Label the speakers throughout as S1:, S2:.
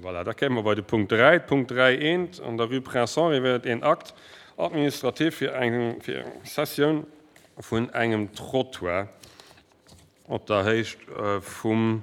S1: Voilà, da kéime mer bei de Punkt 3. Punkt 3 eent, an der Rue Prince Henri wier et een Acte administratif fir eng Cessioun vun engem Trottoir op der Héicht vum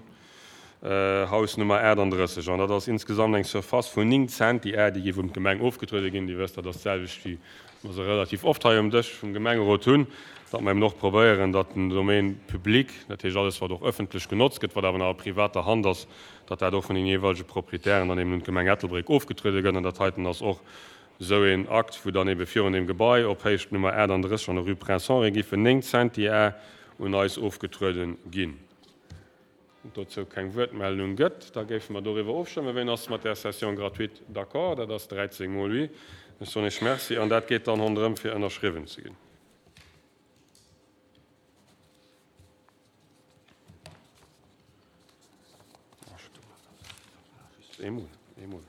S1: Haus Nummer 38. An dat ass insgesamt eng Surface vun 9 Centi-Ar, déi géif un d'Gemeng ofgetruede ginn. Dir wësst, dat ass d'selwecht wéi mer se relativ oft hei um Dësch vum Gemengerot hunn, datt mer eben och probéieren, datt den Domaine public, dat heescht alles wat och ëffentlech genotzt gëtt, wat awer nach a privater Hand ass, datt dat och vun den jeeweilege Proprietären dann eben un d'Gemeng Ettelbréck ofgetruede gëtt. An dat heiten ass och esou een Akt, wou dann ebe virun deem Gebai op Héicht Nummer 38 an der Rue Prince Henri giffen 9 Centi-Ar un eis ofgetruede ginn. Et dozou keng Wuertmeldung gëtt, da géife mer doriwwer ofstëmmen. Wien ass mat där Cession gratuite d'accord? Dat ass 13 mol oui. Ech soen Iech Merci an dat geet dann ronderëm fir ënnerschriwwen ze ginn. Eemol, eemol.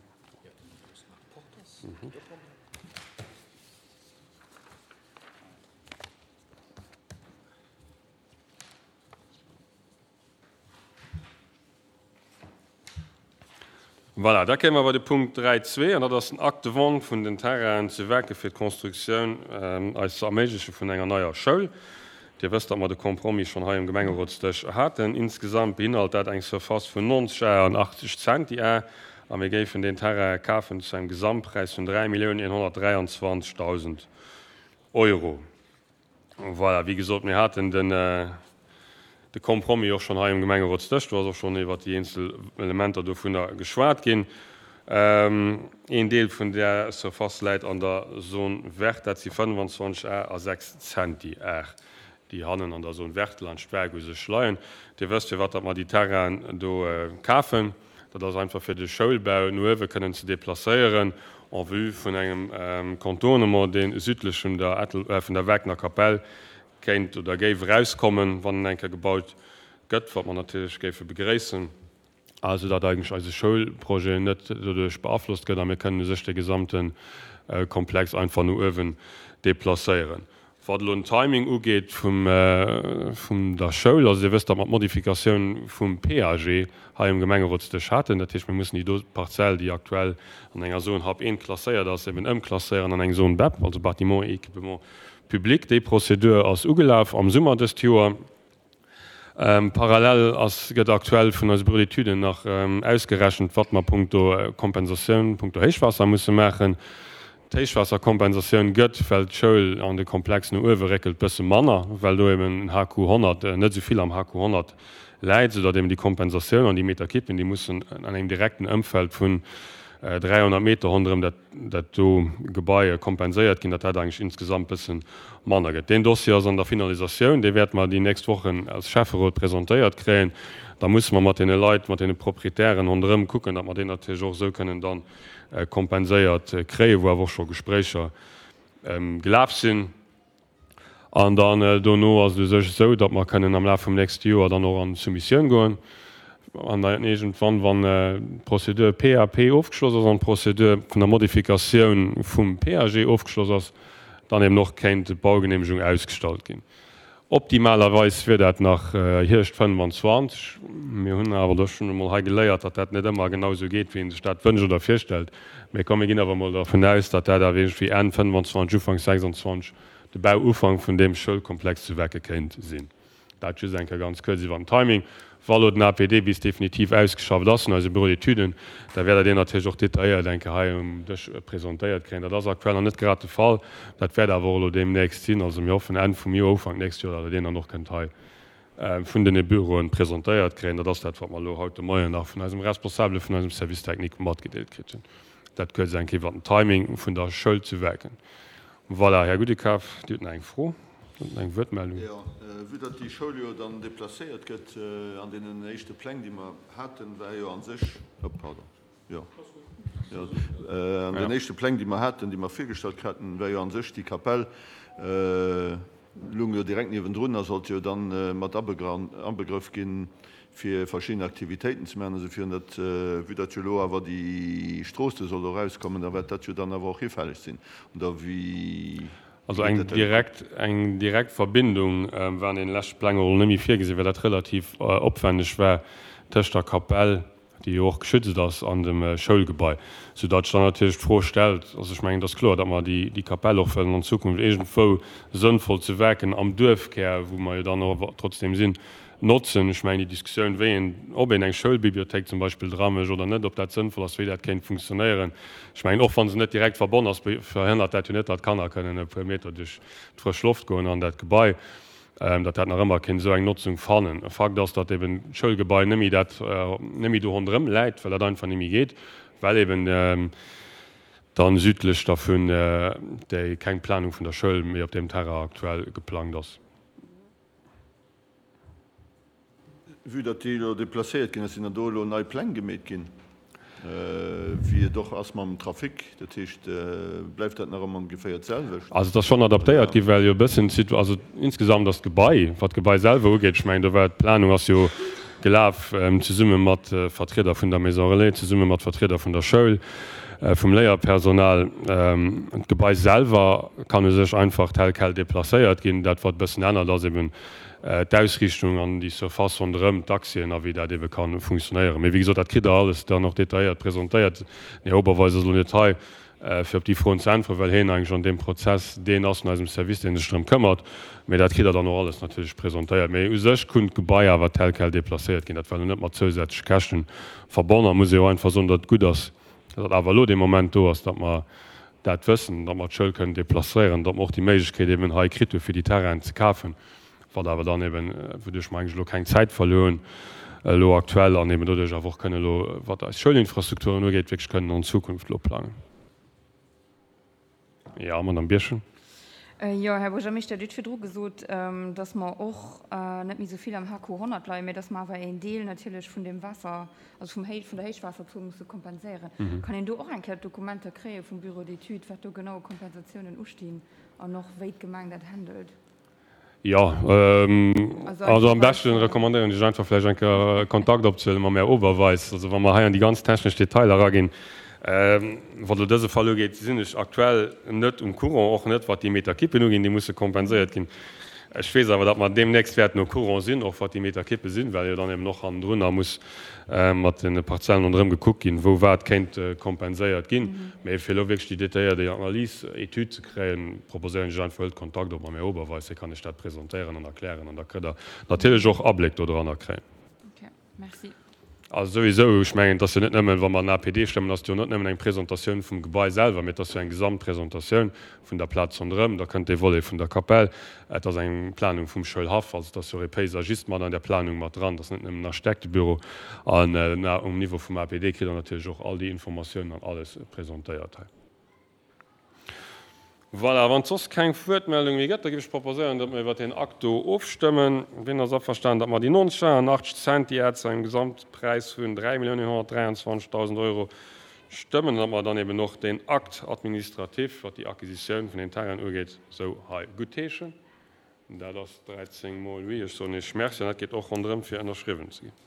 S1: Voilà, da kéime mer bei de Punkt 3.2, an dat ass den Acte de vente vun den Terrainen zu Werke fir d'Constructioun eis ze erméigleche vun enger neier Schoul. Dir wësst, datt mer de Compromis schonn hei um Gemengerotsdësch haten. Insgesamt beinhalt dat eng Surface vun 90 Ar an 80 Centi Ar, a mir géifen deen Terrain kafen zu engem Gesamtpräis vun 3.123.000 Euro. Voilà, wéi gesot, mir haten den, de Compromis och schonn hei um Gemengerotsdësch. Do ass och schonn iwwert déi eenzel Elementer dovunner geschwat ginn. Een Deel vun där Surface läit an der Zone verte, dat si 25 Ar a 6 Centi Ar, déi hannen an der Zone verte laanscht d'Waark u sech leien. Dir wësst, firwat datt mer déi Terrainen do kafen. Dat ass einfach fir de Schoulbau no uewe kënnen ze deplacéieren en vue vun engem Contournement, dee südlech vun der Ettel, vun der Wagner Kapell kéint oder géif erauskommen, wann en eng Kéier gebaut gëtt, wat mer natierlech géife begréissen. Also datt eigentlech eise Schoulprojet net doduerch beaflosst gëtt a mir kënnen u sech de gesamte Komplex einfach no uewen deplacéieren. Wat elo den Timing ugeet vum der Schoul, also Dir wësst, datt mer d'Modifikatioun vum PAG hei um Gemengerotsdësch haten. Dat heescht, mir mussen déi do Parzell, déi aktuell an enger Zone HAP 1 klasséiert ass, eben ëmklasséieren an eng Zone bep, also Bâtiments et équipements publics. Déi Prozedur ass ugelaf am Summer dëst Joer. Parallel ass, gëtt aktuell vun eise Bureau d'études nach ausgerechent, wat mer punkto Kompensatioun, punkto Héichwaasser musse maachen. D'Héichwaasserkompensatioun gëtt, well d'Schoul an de Komplex no uewe réckelt, bësse manner, well do eben den HQ 100 net esou vill am HQ 100 läit, soudatt eben déi Kompensatioun an déi Meterkippen, déi mussen an engem direkten Ëmfeld vun 300 Meter ronderëm dat dat do Gebai kompenséiert ginn, datt dat eigentlech insgesamt bësse manner gëtt. Deen Dossier ass an der Finalisatioun, dee wäerte mer déi nächst Wochen als Schäfferot presentéiert kréien. Da musse mer mat deene Leit, mat deene Proprietären ronderëm kucken, datt mer deen natierlech och esou kënnen da kompenséiert kréien, wou awer och scho Gespréicher gelaf sinn. An dann dono ass et u sech esou, datt mer kënnen am Laf vum nächste Joer dann och an d'Soumissioun goen. An dann iergendwann, wann d'Procédure PAP ofgeschloss ass an d'Procédure vun der Modifikatioun vum PAG ofgeschloss ass, dann eben och kéint d'Baugenehmegung ausgestallt ginn. Optimalerweis wier dat nach Hierscht 25. Mir hunn awer do schonn emol hei geléiert, datt dat net ëmmer genau esou geet, wéi ee sech dat wënscht oder virstellt. Mee komm, mir ginn awer emol dervun aus, datt dat awer iergendwéi Enn 25, Ufank 26 de Bauufank vun deem Schoulkomplex zu Wecke kéint sinn. Dat just eng Kéier ganz kuerz iwwer den Timing. Wa lo den APD bis definitiv ausgeschafft ass vun eise Bureau d'étuden, da wäert Der deen natierlech och detailléiert eng Kéier hei um Dësch presentéiert kréien. Dat ass aktuell nach net grad de Fall. Dat wäert awer och elo deemnächst sinn. Also mir hoffen Enn vum Joer, Ufank nächst Joer, datt Der deen dann och kënnt hei vun den Büroen presentéiert kréien. Dat ass dat, wat mer elo haut de Moien nach vun eisem Responsabele vun eisem Service technique matgedeelt kritt hunn. Dat kuerz eng Kéier iwwer den Timing vun der Schoul zu Werken. Voilà, Här Gudekaf, Dir hutt nach eng Fro, nach eng Wuertmeldung.
S2: Jo, vue datt déi Schoul jo dann déplacéiert gëtt, an deenen éischte Pläng, déi mer haten, war jo a sech, oh pardon, jo, jo, an den éischte Pläng, déi mer haten, déi mer virgestallt haten, war jo a sech déi Kapell, lung jo direkt niewendrun a sollt jo dann mat abegrëff ginn, fir verschidden Aktivitéiten ze maachen. Also fir dat, vue datt jo elo awer déi Strooss do soll erauskommen, da wäert dat jo dann awer och hifälleg sinn, oder wéi
S1: Also eng direkt, eng direkt Verbindung war an deene leschte Pläng och elo net méi virgesinn, well dat relativ opwänneg war tëscht der Kapell. déi jo och geschützt ass an dem Schoulgebai, soudatt sech dann natierlech d'Fro stellt, also ech mengen, et ass kloer, datt mer déi Kapell och wëllen an Zukunft iergendwou sënnvoll zu Werken am Duerfkär, wou mer jo dann och trotzdem sinn, notzen. Ech mengen, déi Diskussioun, wéi een, ob een eng Schoulbibliothéik zum Beispill dramécht oder net, ob dat sënnvoll ass, wéi dat kéint funktionéieren, ech mengen, och wa se net direkt verbonn ass, verhënnert dat jo net, datt d'Kanner kënnen e puer Meter duerch d'frësch Loft goen an dat Gebai, datt dat nach ëmmer kéint esou eng Notzung fannen. Fakt ass, datt eben d'Schoulgebai net méi dat, net méi do ronderëm läit, well dat einfach net méi geet, well eben dann südlech dervun déi keng Planung vun der Schoul méi op deem Terrain aktuell geplangt ass.
S2: Vue datt déi elo deplacéiert ginn ass, sinn dann do elo nei Pläng gemeet ginn, wéi et och ass mam Trafic? Dat heescht, bleift dat nach ëmmer ongeféier d'selwecht?
S1: Also et ass schonn adaptéiert ginn, well jo e bëssen d'Situ-, also insgesamt ass d'Gebai, wat d'Gebai selwer ugeet, ech mengen do war d'Planung ass jo gelaf zesumme mat Vertrieder vun der Maison Relais, zesumme mat Vertrieder vun der Schoul, vum Léierpersonal. D'Gebai selwer kann u sech einfach tel quel deplacéiert ginn. Dat wat e bëssen ännert ass eben d'Ausriichtung an déi Surface ronderëm, d'Accèsen a wéi dat ebe ka funktionéieren. Mee wéi gesot, dat kritt Der alles dann och detailléiert presentéiert. Den Här Oberweis ass elo net hei, fir op déi Froen ze äntweren, well hien eigentlech an deem Prozess deen ass vun eisem Service, dee sech drëm këmmert. Mee dat kritt Der dann och alles natierlech presentéiert. Mee u sech kunnt d'Gebai awer tel quel deplacéiert ginn. Dat war elo net mat zousätzleche Käschten verbonn. A muss ee jo einfach soen, datt et gutt ass, datt awer elo dee Moment do ass, datt mer dat wëssen, datt mer d'Schoul kënnen deplacéieren, datt mer och déi Méiglechkeet eben hei kritt hu fir déi Terrainen ze kafen, wat awer dann eben, wouduerch mer eigentlech elo keng Zäit verluer hunn elo aktuell an eben doduerch awer och kënnen elo, wat eis Schoulinfrastrukturen ugeet, wierklech kënnen an Zukunft elo plangen. Jo, Madame Birchen.
S3: Jo, Här Buergermeeschter, Dir hutt virdru gesot, dass mer och net méi esou vill am HQ 100 leien, mä dass mer awer een Deel natierlech vun deem Waasser, also vum Héich, vun der Héichwaasserzuel musse kompenséieren. Kann een do och eng Kéier d'Dokumenter kréie vum Bureau d'études, wat do genau u Kompensatiounen ustinn an och wéi d'Gemeng dat handelt?
S1: Jo, also am beschten recommandéieren ech einfach vläicht eng Kéier Kontakt opzehuelen mam Här Oberweis. Also wa mer hei an déi ganz technesch Detailer eraginn, wat elo dëse Fall ugeet, sinn ech aktuell net um Courant, och net wat déi Meterkippen uginn, déi musse kompenséiert ginn. Ech weess awer, datt mer deemnächst wäerten au courant sinn, och wat déi Meterkippe sinn, well jo dann eben och hannendrun muss mat de Parzellen ronderëm gekuckt ginn, wou wat kéint kompenséiert ginn. Mee fir elo wierklech déi detailléiert Analys, Etüd ze kréien, proposéieren ech einfach, huelt Kontakt op mam Här Oberweis, hie kann Iech dat presentéieren an erklären an da kënnt Der natierlech och Abléck dodranner kréien.
S3: Okay, merci.
S1: Also souwisou, ech mengen, et ass jo net nëmmen, wa mer en APD stëmmen, ass et jo net nëmmen eng Presentatioun vum Gebai selwer, mee et ass jo eng Gesamtpresentatioun vun der Plaz ronderëm. Da kënnt dee Volet vun der Kapell, et ass eng Planung vum Schoulhaff, also et ass jo och ee Paysagiste mat an där Planung mat dran, et ass net nëmmen en Architektebüro. An um Niveau vum APD kritt Der natierlech och all déi Informatiounen an alles presentéiert hei. Voilà, wann et soss keng Wuertmeldung méi gëtt, da géif ech proposéieren, datt mer iwwert deen Akt do ofstëmmen. Wien ass averstanen, datt mer déi 90 Centiar zu engem Gesamtpräis vun 3.123.000 Euro stëmmen an datt mer dann eben och deen Acte administratif, wat déi Acquisitioun vun den Terrainen ugeet, esou hei guttheeschen? Dat ass 13 mol oui. Ech soen Iech Merci an dat geet och ronderëm, fir ënnerschriwwen ze ginn.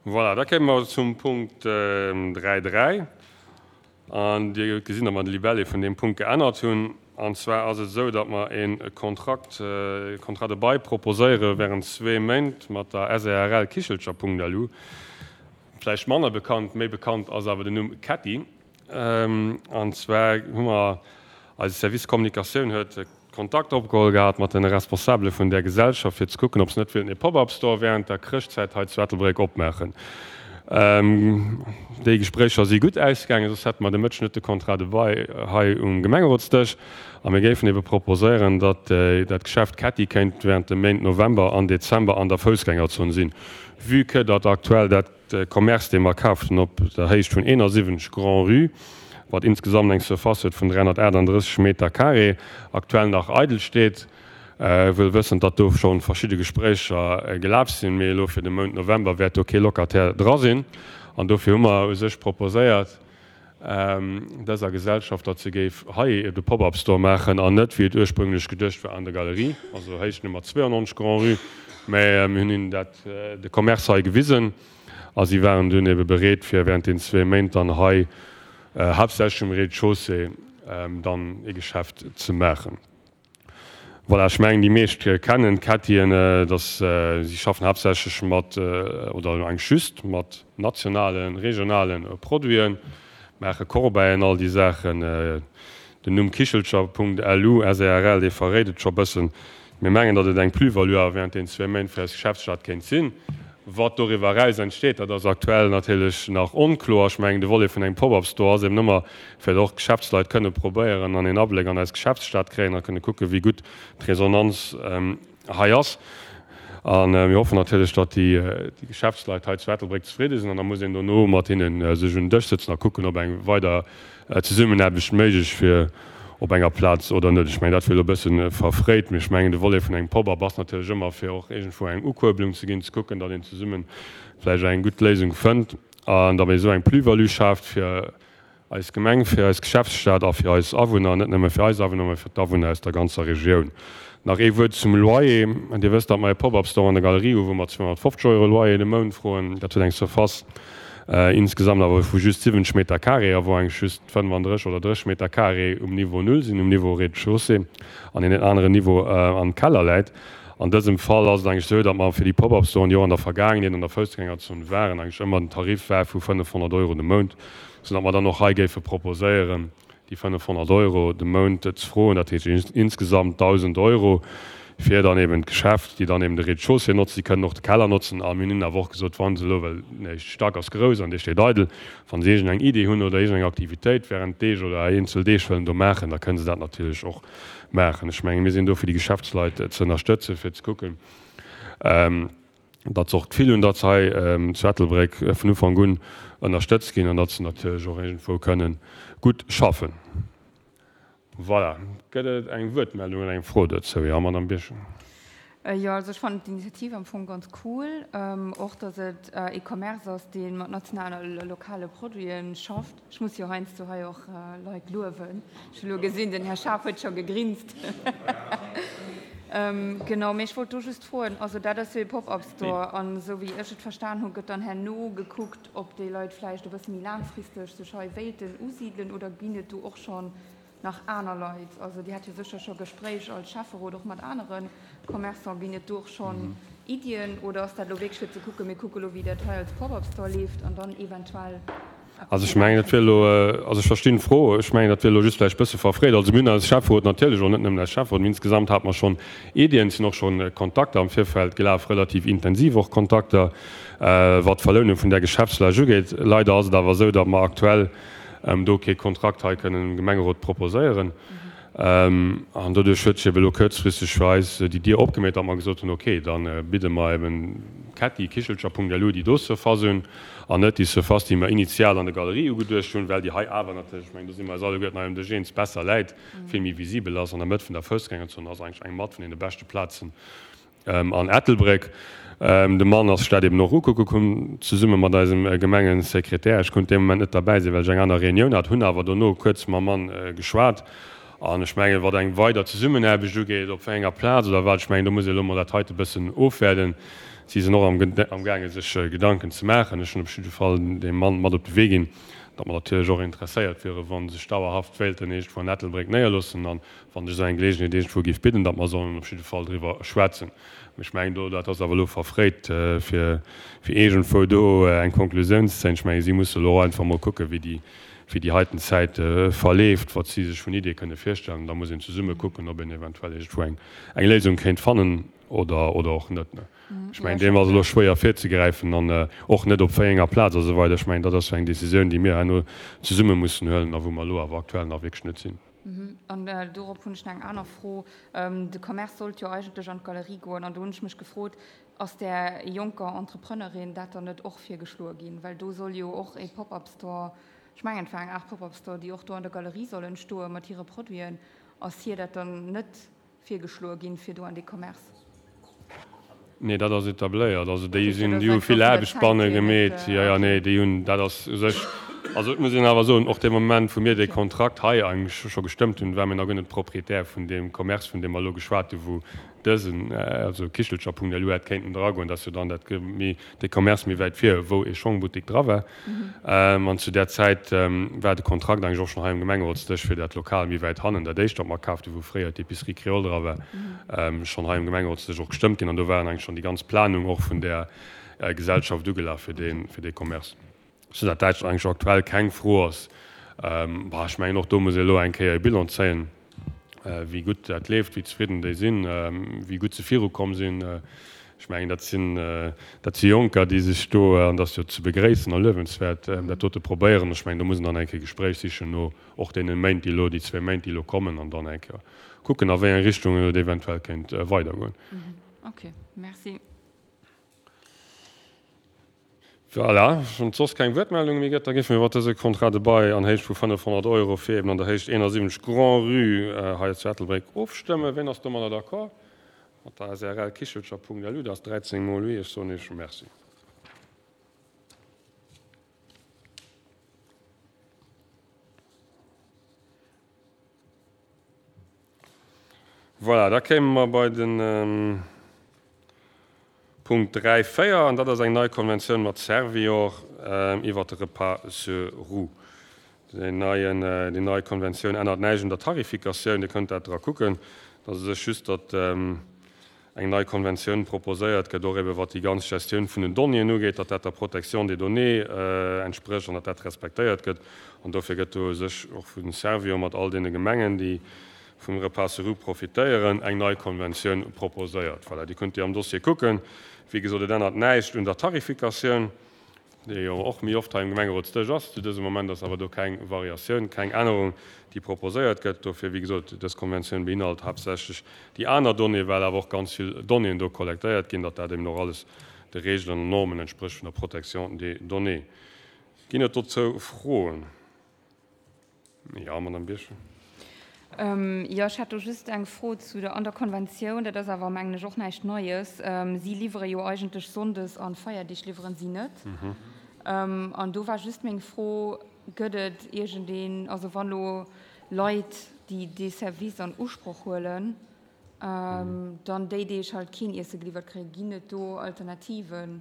S1: Voilà, da kéime mer zum Punkt 3.3. An Dir hutt gesinn, datt mer de Libellé vun deem Punkt geännert hunn. An zwar ass et esou, datt mer e Kontrakt, e Contrat de bail proposéiere während zwee Méint mat der SARL Kichelcher.lu. Vläicht manner bekannt, méi bekannt ass awer den Numm Ketty. An zwar hu mer, eise Service Kommunikatioun huet Kontakt opgeholl gehat mat de Responsabele vun där Gesellschaft, fir ze kucken, ob se net wéilten e Pop-up-Store während der Chrëschtzäit hei zu Ettelbréck opmaachen. Déi Gespréicher si gutt ausgaangen, soss hätte mer de Mëtteg net de Contrat de bail hei um Gemengerotsdësch. A mir géifen ebe proposéieren, datt dat Geschäft Ketty kéint während de Méint November an Dezember an der Foussgängerzon sinn, vue que datt aktuell dat De Commerce, dee mer kaaft hunn op der Héicht vun 71 Grand-Rue, wat insgesamt eng Surface huet vun 338 Meter carré, aktuell nach eidel steet, wëll wëssend, datt do scho verschidde Gespréicher gelaf sinn, mee elo fir de Mount November wäert do kee Locataire dra sinn. An dofir hu mer u sech proposéiert. Dëser Gesellschaft, datt se géif hei de Pop-up Store maachen an net, wéi et ursprünglech geduecht war, an der Galerie, also Héicht Nummer 92 Grand-Rue. Mä mir hunn hinnen dat, de Commerce hei gewisen a si waren dunn ebe bereet, fir während den zwee Méint dann hei haaptsächlech um Rez-de-chaussée dann ee Geschäft ze maachen. Voilà, ech mengen déi meescht kennen d'Kettien, dass si schaffen haaptsächlech mat, oder eigentlech just mat nationalen, regionale Produiten, maache Corbeillen, all déi Saachen. Den Numm Kichelcher.lu SARL, dee verréit et scho bëssen. Mir mengen, datt et eng Plus-value awer während deenen zwee Méint fir eis Geschäftsstad kéint sinn. Wat doriwwer eraus entsteet, dat ass aktuell natierlech nach onkloer. Ech mengen, de Volet vun engem Pop-up-Store ass eben ëmmer, fir datt och d'Geschäftsleit kënne probéieren an een Abléck an eis Geschäftsstad kréien a kënne kucken, wéi gutt d'Resonanz hei ass. A mir hoffen natierlech, datt déi Geschäftsleit hei zu Ettelbréck zefridde sinn. An da muss een dono mat hinne sech un den Dësch sëtzen a kucken, ob eng weider Zesummenaarbecht méiglech wier op enger Plaz oder net. Ech mengen, dat wier elo e bësse verfréit, mee ech mengen, de Volet vun engem Pop-up ass natierlech ëmmer, fir och iergendwou eng Ukuerbelung ze ginn, ze kucken, datt een zesumme vläicht eng gutt Léisung fënnt an datt ee esou eng Plus-value schaaft fir eis Gemeng, fir eis Geschäftsstad a fir eis Awunner, net nëmme fir eis Awunner, mä fir d'Awunner aus der ganzer Regioun. Nach ee Wuert zum Loyer. Dir wësst, datt mer e Pop-up-Store an der Galerie hu wou mer 250 Euro Loyer de Mount froen. Dat huet eng Surface insgesamt awer vu just 70 Meter carré a wou eigentlech just 35 oder 30 Meter carré um Niveau Null sinn, um Niveau Rez-de-chaussée an een aneren Niveau am Keller läit. An dësem Fall ass et eigentlech esou, datt mer fir déi Pop-up-Storen, déi och an der Vergaangenheet an der Foussgängerzon waren, eigentlech ëmmer den Tarif war vu 500 Euro de Mount, soudatt mer dann och hei géife proposéieren, déi 500 Euro de Mount ze froen, dat heescht insgesamt 1.000 Euro fir dann eben d'Geschäft, déi dann eben de Rez-de-chaussée notzen. Si kënnen och de Keller notzen. A mir hunn hinnen awer och gesot, wa se elo, well den éischte Stack ass grouss an dee steet eidel, wa se iergendeng Idee hunn oder iergendeng Aktivitéit während Deeg oder eenzel Deeg wëllen do maachen, da kënne se dat natierlech och maachen. Ech menge mir sinn do fir déi Geschäftsleit ze ënnerstëtzen, fir ze kucken, datt se och d'Gefill hunn, datt se hei zu Ettelbréck vun Ufank un ënnerstëtzt ginn an datt se natierlech och iergendwou kënne gutt schaffen. Voilà. Gëtt et eng Wuertmeldung oder eng Fro dozou? Jo, Madamm Birchen.
S3: Jo, also ech fannen d'Initiativ am Fong ganz cool. Och datt et ee Commerce ass, dee mat nationalen a lokale Produite schafft. Ech muss jo heiansdo hei och Leit luewen. Ech hu lo gesinn, den Här Schaaf huet scho gegrinst. Genau, mee ech wollt do just froen, also dat ass jo ee Pop-up-Store an esou wéi ech et verstan hu gëtt dann herno gekuckt, ob déi Leit vläicht e bësse méi laangfristeg sech hei wéilten usidelen oder ginn et do och schonn nach aner Leit? Also Dir hat jo sécher scho Gespréich als Schäfferot och mat anere Commerçant. Ginn et do och schonn Iddien oder ass dat elo wierklech fir ze kucken, mir kucke lo wéi dat hei als Pop-up-Store leeft an dann eventuell
S1: Also ech mengen, dat wier elo, also ech verstinn d'Fro, ech mengen, dat wier elo just vläicht e bësse verfréit. Also mir hunn als Schäfferot natierlech, och net nëmmen als Schäfferot, mee insgesamt hate mer schonn Iddien, et sinn och schonn Kontakter am Virfeld gelaf, relativ intensiv och Kontakter, wat d'Verlounung vun där Geschäftsfläch ugeet. Leider ass et awer esou, datt mer aktuell do kee Kontrakt hei kënnen dem Gemengerot proposéieren. An doduerch huet sech eben elo kuerzfristeg fir eis déi Dier opgemeet, datt mer gesot hunn, okay, da bidde mer eben d'Kätti Kichelcher.lu déi do Surface un an net déi Surface, déi mer initial an der Galerie ugeduecht hunn, well déi hei awer natierlech, ech mengen, do si mer eis alleguerten hei um Dësch eens, besser läit, vill méi visibel ass an der Mëtt vun der Foussgängerzon, ass eigentlech eng mat vun deene beschte Plazen An Ettelbréck. De Mann ass sech dat eben och ukucke komm, zesumme mat eisem Gemengesekretär. Ech konnt dee Moment net derbäi sinn, well ech eng aner Reunioun hat, hunn awer dono kuerz mam Mann geschwat. An ech mengen, wat eng weider Zesummenaarbecht ugeet, op wéi enger Plaz oder wat, ech mengen, do muss ee elo mol dat heite bëssen ofwäerden. Si sinn och amgaange sech Gedanken ze maachen. Ech hunn op jidde Fall deem Mann mat op de Wee ginn, datt mer natierlech och interesséiert wieren, wa se sech dauerhaft wéilten iergendwou an Ettelbréck néierloossen. An wann sech esou eng Geleegenheet iergendwou géif bidden, datt mer sollen op jidde Fall driwwer schwätzen. Mee ech mengen do, dat ass awer elo verfréit, fir iergendwou do eng Konklusioun ze zéien. Ech mengen, si musse elo och einfach emol kucken, wéi déi, wéi déi heiten Zäit verleeft, wat si sech vun Iddie kënne virstellen. An da muss een zesumme kucken, ob een eventuell iergendwou eng, eng Léisung kéint fannen oder, oder och net. Ech mengen, deem ass elo schwéier virzegräifen an och net op wéi enger Plaz a sou weider. Ech mengen, dat ass jo eng Décisioun, déi mir herno zesumme mussen huelen a wou mer elo awer aktuell nach wierklech net sinn.
S3: An dorop hunn ech nach eng aner Fro. De Commerce sollt jo eigentlech an d'Galerie goen. An do hunn ech mech gefrot, Ass där jonker Entrepreneurin dat dann net och virgeschloe ginn? Well do soll jo och e Pop-up-Store, ech mengen et war eng Aart Pop-up-Store, déi och do an der Galerie soll entstoe mat hire Produiten. Ass hir dat dann net virgeschloe ginn, fir do an dee Commerce?
S1: Nee, dat ass etabléiert. Also déi sinn, déi hu vill Aarbecht banne gemeet. Jo, jo, nee, déi hunn, dat ass u sech. Also et muss een awer soen, och dee Moment, wou mir dee Kontrakt hei eigentlech scho gestëmmt hunn, ware mir nach guer net Proprietär vun deem Commerce, vun deem mer elo geschwat hunn, wou dësen, also Kichelcher.lu hätt kéinten dragoen. Dat ass jo dann dat méi, dee Commerce méi wäit vir, wou ee Schongbuttik dra war. An zu där Zäit war de Kontrakt eigentlech och schonn hei um Gemengerotsdësch fir dat Lokal méi wäit hannen, dat éischt, wat mer kaaft hunn, wou fréier d'Épicerie Créole dra war, schonn hei um Gemengerotsdësch och gestëmmt ginn. An do waren eigentlech schonn déi ganz Planung och vun där Gesellschaft ugelaf fir dee, fir dee Commerce. Soudatt dat eigentlech aktuell keng Fro ass. Bah, ech mengen, och do muss ee elo eng Kéier e Bilan zéien, wéi gutt dat leeft, wéi zefridden déi sinn, wéi gutt se virukomm sinn. Ech mengen, dat sinn, dat si Jonker, déi sech do, an dat ass jo ze begréissen a luewenswäert, dat dote probéieren. Ech mengen, do muss een dann eng Kéier Gespréich sichen no och deene Méint, déi elo, déi zwéi Méint, déi elo kommen, an dann eng Kéier kucken, a wéi eng Richtung et eventuell kéint weidergoen.
S3: Okay, merci.
S1: Voilà, wann et soss keng Wuertmeldunge méi gëtt, da géife mir iwwert dëse Contrat de bail an Héicht vu 500 Euro fir eben an der Héicht 71 Grand-Rue hei zu Ettelbréck ofstëmmen. Wien ass domadder d'accord? Mat der SRL Kichelcher.lu, dat ass 13 mol oui. Ech soen Iech Merci. Voilà, da kéime mer bei de Punkt 3, 4, an dat ass eng nei Konventioun mat Servior iwwert de Repas sur roues. Déi neien, déi nei Konventioun ännert näischt un der Tarifikatioun, Dir kënnt dat dra kucken. Et ass u sech just, datt eng nei Konventioun proposéiert gëtt, och ebe wat déi ganz Gestioun vun den Donnéeën ugeet, datt dat der Protection des données entsprécht an datt dat respektéiert gëtt. An dofir gëtt do u sech och vu Servior mat all deene Gemengen, déi vum Repas sur roues profitéieren, eng nei Konventioun proposéiert. Voilà, déi kënnt Dir am Dossier kucken. Wéi gesot, et ännert näischt un der Tarifikatioun. dee jo och méi oft hei um Gemengerotsdësch ass. Zu dësem Moment ass awer do keng Variatioun, keng Ännerung, déi proposéiert gëtt. Dofir, wéi gesot, dës Konventioun beinhalt haaptsächlech déi aner Donnéeë, well awer och ganz vill Donnéeën do kollektéiert ginn, datt dat eben och alles de Regeln an Normen entsprécht vun der Protection des données. Ginn et dozou Froen? Jo, Madame Birchen.
S3: Jo, ech hätt do just eng Fro zu der, an der Konventioun, dat ass awer, mengen ech, och näischt Neies. Si liwwere jo eigentlech sonndes an Feierdeeg liwweren si net. An do war just meng Fro, Gëtt et iergendeen, also wann elo Leit, déi dee Service an Usproch huelen, dann déi Deeg halt keen Iesse geliwwert kréien, ginn et do Alternativen?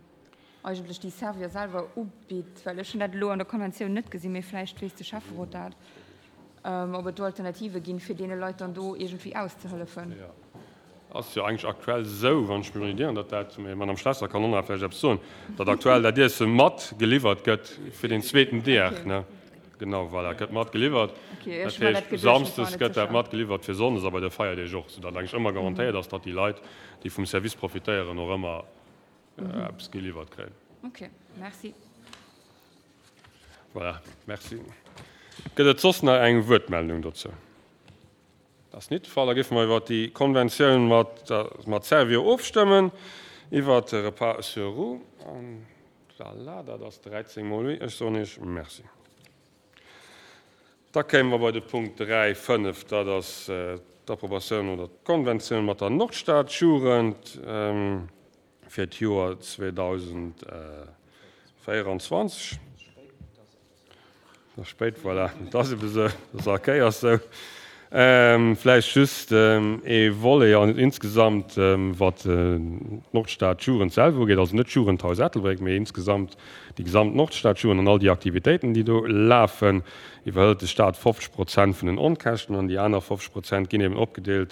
S3: eigentlech déi Servior selwer ubitt, well ech hunn dat elo an der Konventioun net gesinn, mee vläicht weess de Schäfferot dat, ob et do Alternative ginn, fir deene Leit dann do iergendwéi auszehëllefen.
S1: Jo, ass jo eigentlech aktuell esou, wann ech mech net ieren, datt dat, mee d'Madame Schlesser kann och nach vläicht eppes soen, datt aktuell dat Iesse mat geliwwert gëtt fir den zweeten Deeg, ne? Genau, voilà, gëtt mat geliwwert. Dat heescht, samsdes gëtt dat mat geliwwert fir sonndes a bei de Feierdeeg och, soudatt eigentlech ëmmer garantéiert ass, datt déi Leit, déi vum Service profitéieren, och ëmmer eppes geliwwert kréien.
S3: Ok, merci.
S1: Voilà, merci. Gëtt et soss nach eng Wuertmeldung dozou? Dat ass nit de Fall. Da géife mer iwwert déi Konventioun mat, mat Servior ofstëmmen, iwwert de Repas sur roues. An voilà, dat ass 13 mol oui. Ech soen Iech Merci. Da kéime mer bei de Punkt 3, 5, dat ass d'Approbatioun oder d'Konventioun mat der Nordstadjugend fir d'Joer 2024. Et ass spéit, voilà, et ass ebe sou, et ass all Kéiers sou. Vläicht just ee Volet an insgesamt, wat d'Nordstadjugend selwer ugeet, also net d'Jugendhaus Ettelbréck, mee insgesamt déi gesamt Nordstadjugend an all déi Aktivitéiten, déi do lafen, iwwerhëlt de Staat 50 Prozent vun den Onkäschten an déi aner 50 Prozent ginn eben opgedeelt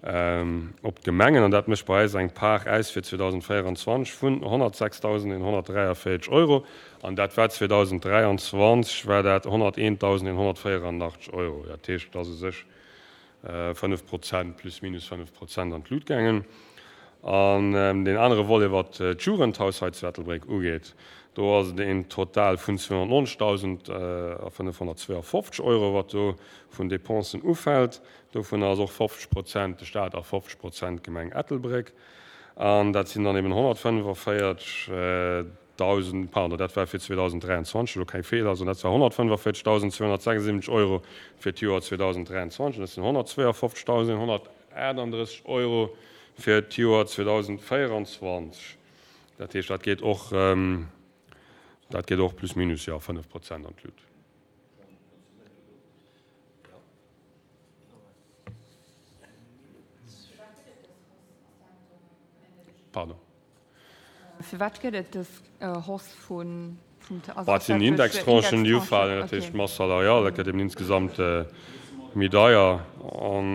S1: op d'Gemengen. An dat mécht bei eis eng Part aus fir 2024 vun 106.143 Euro. An dat war 2023 war dat 101.184 Euro. Dat heescht, et ass u sech 5 Prozent, plus minus 5 Prozent an d'Lut gaangen. An deen anere Volet, wat d'Jugendhaus hei zu Ettelbréck ugeet, do ass et een Total vun 290.552 Euro, wat do vun Dépensen ufält. Dovunner ass och 50 Prozent de Staat a 50 Prozent d'Gemeng Ettelbréck. An dat sinn dann eben 145.000, pardon, dat war fir 2023, elo keng Feeler soen, dat war 145.276 Euro fir d'Joer 2023 an dat sinn 152.138 Euro fir d'Joer 2024. Dat heescht, dat geet och, dat geet och plus minus, jo, 5 Prozent an d'Lut. Pardon.
S3: Firwat gëtt et dës Hausse vun, vum,
S1: also Et sinn Indextranchen, déi ufalen, dat heescht d'Masse salariale gëtt eben insgesamt méi deier. An,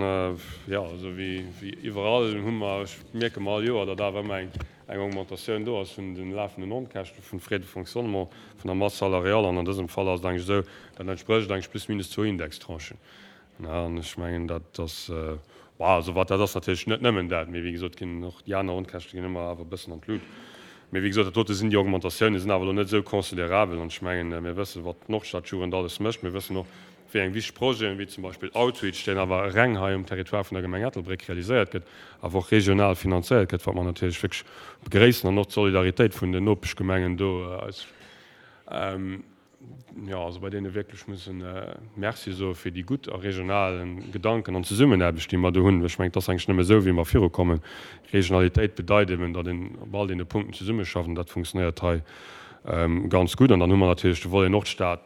S1: jo, esou wéi iwwerall hu mer, mierke mer all Joer, datt awer ëmmer eng, eng Augmentatioun do ass vun de lafenden Onkäschte vun Frais de fonctionnement, vun der Masse salariale. An an dësem Fall ass et eigentlech esou, dat entsprécht eigentlech plus minus zwou Indextranchen. An ech mengen, dat ass, bon, also wat, dat ass natierlech net nëmmen dat, mee wéi gesot ginn och déi aner Onkäschte ginn ëmmer awer e bëssen an d'Lut. Mee wéi gesot, dat dote sinn déi Augmentatiounen, sinn awer elo net esou considerabel. An ech mengen, mir wëssen, wat d'Nordstadjugend alles mécht. Mir wëssen och, wéi eng wichteg Projeten, wéi zum Beispill Outreach, deen awer reng hei um Territoire vun der Gemeng Ettelbréck realiséiert gëtt, awer och regional finanzéiert gëtt, wat mer natierlech wierklech begréissen, an och d'Solidaritéit vun den Nopeschgemengen do eis. jo, also bei deene wierklech mussen Merci soe fir déi gutt a regional Gedanken an Zesummenaarbecht, déi mer do hunn. Ech mengen, et ass eigentlech nëmme esou, wéi mer virukommen. Regionalitéit bedeit eben, datt een op all deene Punkten zesummeschafft an dat funktionéiert hei ganz gutt. An dann hu mer natierlech de Volet Nordstad,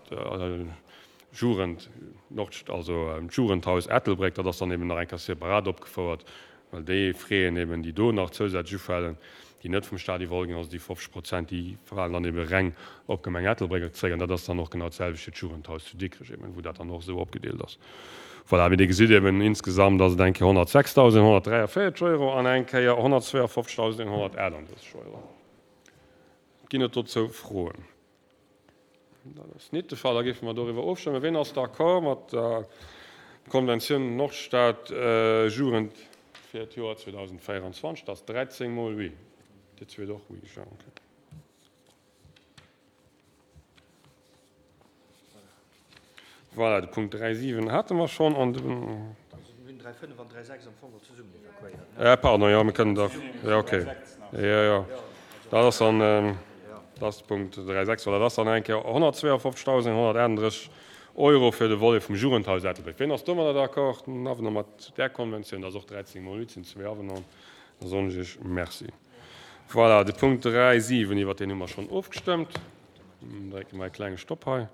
S1: Jugend, Nord, also d'Jugendhaus Ettelbréck, dat ass dann eben nach eng Kéier separat opgefouert, Well déi Fräen eben, déi do nach zousätzlech ufalen, déi net vum Staat iwwerholl ginn, also déi 50 Prozent, déi falen dann ebe reng op d'Gemeng Ettelbréck zréck. An dat ass dann och genau d'selwecht fir d'Jugendhaus zu Dikrech eben, wou dat dann och esou opgedeelt ass. Voilà, wéi Dir gesitt eben, insgesamt ass et eng Kéier 106.143 Euro an eng Kéier 152.138 Euro. Ginn et dozou Froen? Dat ass nit de Fall. Da géife mer doriwwer ofstëmmen. Ween ass d'accord mat der Konventioun Nordstad Jugend fir d'Joer 2024? Dat ass 13 mol oui. Dir zweet och oui, Jean? Okay. Voilà, de Punkt 3,7 hate mer schonn an de.
S4: Also mir hunn 3,5 an 3,6 am Fong och zesummen evakuéiert, ne?
S1: Äh, pardon, jo, mir kënnen da, jo, okay. Jo, jo, dat ass dann, dat ass de Punkt 3,6. Voilà, dat ass dann eng Kéier 152.138 Euro fir de Volet vum Jugendhaus Ettelbréck. Wien ass domadder d'accord, den Avenant mat där Konventioun? Dat ass och 13 mol 8, sinn zwee Avenanten. Da soen ech Iech Merci. Voilà, de Punkt 3,7, iwwert deen hu mer schonn ofgestëmmt. Drécke mer e klenge Stopp hei.